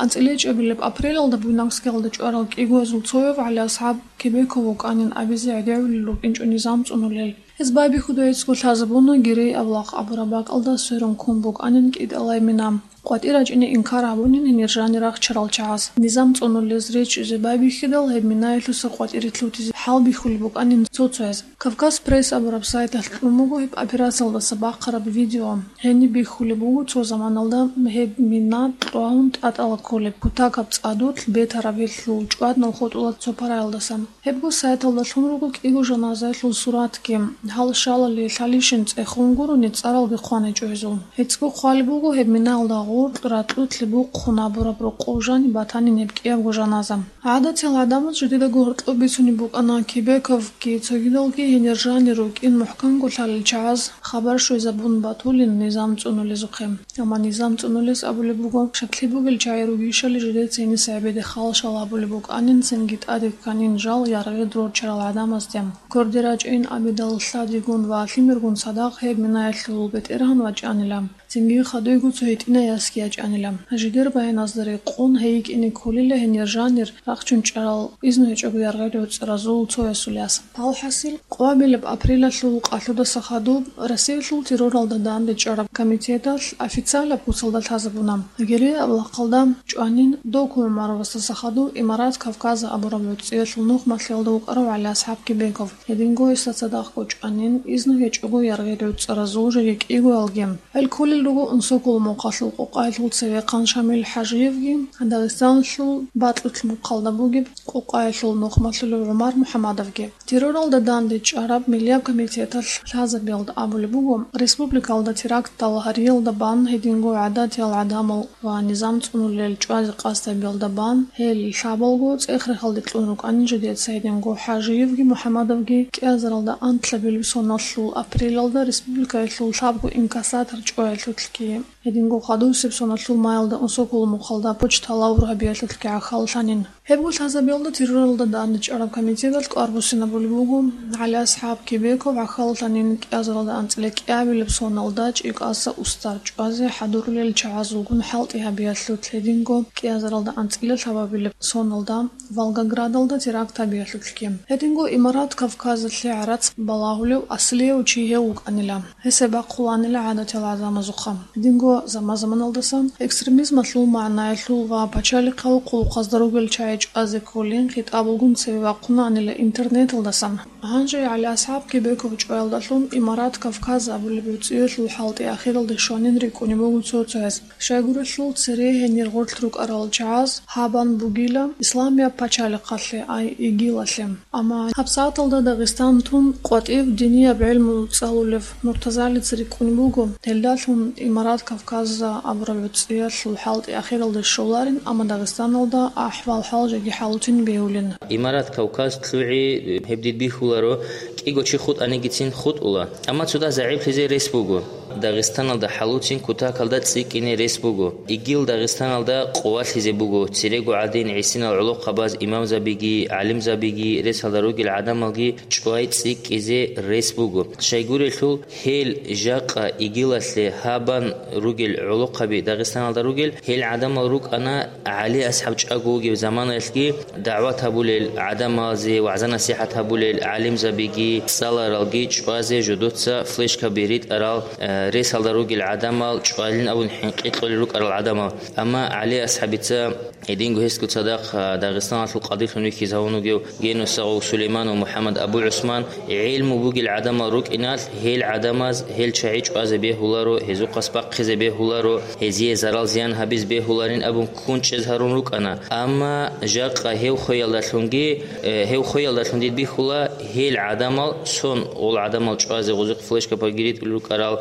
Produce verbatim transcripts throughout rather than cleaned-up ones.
АнцӀила чӀебилеб апрелалда Буйнакскиялда чӀварал кӀигоязул цояв ГӀали-АсхӀаб Кебеков вукӀанин абизе гӀедегӀулел рукӀинчӀо низам цӀунулел. Гьез байбихьуда гьечӀого лъазабуна Гирей авлахъ абураб бакӀалда сверун ккун букӀанин кӀитӀалай мина. КъватӀир рачӀине инкар гьабунин гьенир жанир рахчарал чагӀаз. Низам цӀунулез речӀчӀизе байбихьидал, гьеб минаялъуса къватӀире лъутизе хӀалбихьулеб букӀанин цо-цояз. Кавказ Пресс абураб сайталъ кьун буго гьеб операциялдаса бахъараб видео. Гьениб бихьулеб буго цо заманалда гьеб мина кьвагьун тӀатӀала кколеб кутакаб цӀадулъ бетараб гьелъул чӀваднал хутӀула цо параялдасан. Гьебго сайталда лъун руго кӀиго жаназаялъул суратги. Гьал щалали лъалищин цӀехун гурони цӀаралги хъван гьечӀо гьезул. ГьецӀго хъвалеб буго гьеб минаялда гъоркь ракьулъ бухъун абураб рокъов жаниб батанин гьеб кӀиябго жаназа. ГӀадатиял гӀадамаз жидедаго гьоркьоб бицунеб букӀана Кебековги цогидалги гьенир жанир рукӀин мухӀканго лъалел чагӀаз хабар щвезабун батулин низам цӀунулезухъе. Амма низам цӀунулес абулеб буго, шаклъи бугел чагӀи ругищали жидеца гьениса гӀебеде халшал гьабулеб букӀанин, цинги тӀаде кканин жал яргъи рорчарал гӀадамазде. Кверде рачӀейин абидал лъадигун ва лъимергун цадахъ гьеб минаялъул бетӀергьан вачӀанила. Цинги хадуйго цо гьитӀинай ясги ячӀанила. Жидер баяназда рекъон гьей йикӀине кколила гьенир жанир рахчун чӀарал изну гьечӀого яргъел гӀуцӀаразул цоясул яс. Алхасил, къвабилеб апрелалъул къалъудаса хадуб Россиялъул терроралда дандечӀараб комитеталъ официалаб куцалда лъазабуна. Гирей авлахъалда чӀванин, Доку ГӀумаровасдаса хадуб Имарат Кавказа абураб гӀуцӀиялъул нухмалъиялда вукӀарав ГӀали-АсхӀаб Кебеков. Гьединго гьесда цадахъго чӀванин, изну гьечӀого яргъел гӀуцӀаразул жеги кӀигоялги. Гьел кколел руго Унсоколо мухъалъул Къокъаялъул цевехъан Шамил ХӀажиевги, Дагъистаналъул Батутлъ мухъалда бугеб Къокъаялъул нухмалъулев ГӀумар МухӀамадовги. Терроралда дандечӀараб Миллияб комитеталъ лъазабиялда абулеб буго, республикалда терактал гьариялда бан гьединго гӀадатиял гӀадамал ва низам цӀунулел чӀвазе къасд гьабиялда бан, гьел лъабалго цӀех-рехалде кьун рукӀанин жидеца гьединго ХӀажиевги МухӀамадовги кӀиазаралда анлъабилеб соналъул апрелалда республикаялъул лъабго инкассатор чӀваялъулъги, гьединго хадусеб соналъул маялда Унсоколо мухъалда почта лавр гьабиялъулъги гӀахьаллъанин. Гьебго лъазабиялда терроралда дандечӀараб комитеталъ тӀвар буссинабулеб буго, ГӀали-АсхӀаб Кебеков гӀахьаллъанин кӀиазаралда анцӀила кӀиабилеб соналда ЧӀикӀаса устар чӀвазе хӀадурулел чагӀазулгун хӀалтӀи гьабиялъулъ гьединго кӀиазаралда анцӀила лъабабилеб соналда Волгоградалда теракт гьабиялъулъги. Гьединго Имарат Кавказалъе гӀарац балагьулев аслияв чи гьев вукӀанила. Гьесие бахъуланила гӀадатиял гӀадамазухъа. Гьединго заман-заманалдасан экстремизмалъул магӀнаялъул ва пачалихъал хъулухъазда ругел чагӀи чӀвазе кколин хитӀабалгун цеве вахъунаанила интернеталдасан. Гьанже ГӀали-АсхӀаб Кебеков чӀваялдалъун Имарат Кавказ абулеб гӀуцӀиялъул хӀалтӀи ахиралде щванин рикӀкӀунеб буго цо-цояз. Щайгурелъул цере гьенир гъорлъ рукӀарал чагӀаз гьабан бугила Исламияб пачалихъалъе, ай ИГИЛалъе. Амма гьабсагӀаталда Дагъистан тун къватӀив динияб гӀелму цӀалулев Муртазалица рикӀкӀунеб буго, гьелдалъун Имарат Кавказа абураб гӀуцӀиялъул хӀалтӀи ахиралде щоларин, амма Дагъистаналда ахӀвал-хӀал жеги хӀалуцин бегьулин. Имарат Кавказ лъугӀи гьеб дид бихьуларо, кӀиго чи хутӀанигицин хутӀула, амма цо дагь загӀиплъизе рес буго. Дагъистаналда хӀалуцин кутакалда цӀикӀкӀине рес буго. ИГИЛ Дагъистаналда къувалъизе буго, церего гӀадин гӀисинал гӀолохъабаз имамзабиги, гӀалимзабиги, ресалда ругел гӀадамалги чӀвай цӀикӀкӀизе рес буго. Щайгурелъул, гьел жакъа ИГИЛалъе гьабан ругел гӀолохъаби Дагъистаналда ругел, гьел гӀадамал рукӀана ГӀали-АсхӀаб чӀаго вугев заманаялъги дагӀват гьабулел гӀадамалзе, вагӀза-насихӀат гьабулел гӀалимзабиги, цӀаларалги чӀвазе жодоца флешкаби ритӀарал, э, ресалда ругел гӀадамал чӀвалин абун хӀинкъи кьолел рукӀарал гӀадамал. Амма ГӀали-АсхӀабица гьединго гьесго цадахъ, а, Дагъистаналъул къадилъун вихьизавун вугев Генусагъов Сулейман ва МухӀаммад Абу ГӀусман гӀелму бугел гӀадамал рукӀиналъ, гьел гӀадамаз гьел чагӀи чӀвазе бегьуларо, гьезухъас бахъизе бегьуларо, гьезие зарал-зиян гьабиз бегьуларин абун ккун чӀез гьарун рукӀана. Амма жакъа гьев хвеялдалъунги, э, гьев хвеялдалъун дид бихьула, гьел гӀадамал, сон гъол гӀадамал чӀвазе гъозихъ флешкабаги ритӀулел рукӀарал,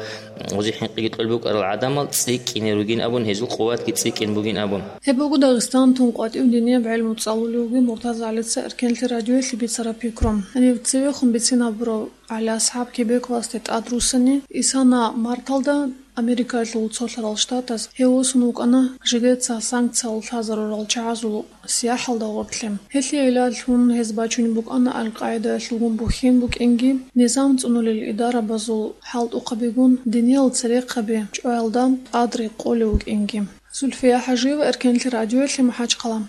гъозихъ хӀинкъиги кьолеб букӀарал гӀадамал цӀикӀкӀине ругин абун, гьезул къуватги цӀикӀкӀин бугин абун. Гьеб буго Дагъистан тун къватӀив динияб гӀелму цӀалулев вугев Муртазалица эркенлъи радиоялъе бицараб пикру. Гьанив цевехун бицин гьабурав ГӀали-АсхӀаб Кебековасде тӀадруссани, исана марталда Америкаялъул цолъарал штатаз гьев восун вукӀана жидеца санкциял лъазарурал чагӀазул сияхӀалда гъоркье. Гьелъие гӀиллаллъун гьез бачунеб букӀана Ал-Къаидаялъулгун бухьен букӀинги, низам цӀунулел идарабазул хӀалтӀухъабигун диниял церехъаби чӀваялда тӀад рекъолев вукӀинги. Зульфия ХӀажиева, Эркенлъи радиоялъе, МахӀачхъала.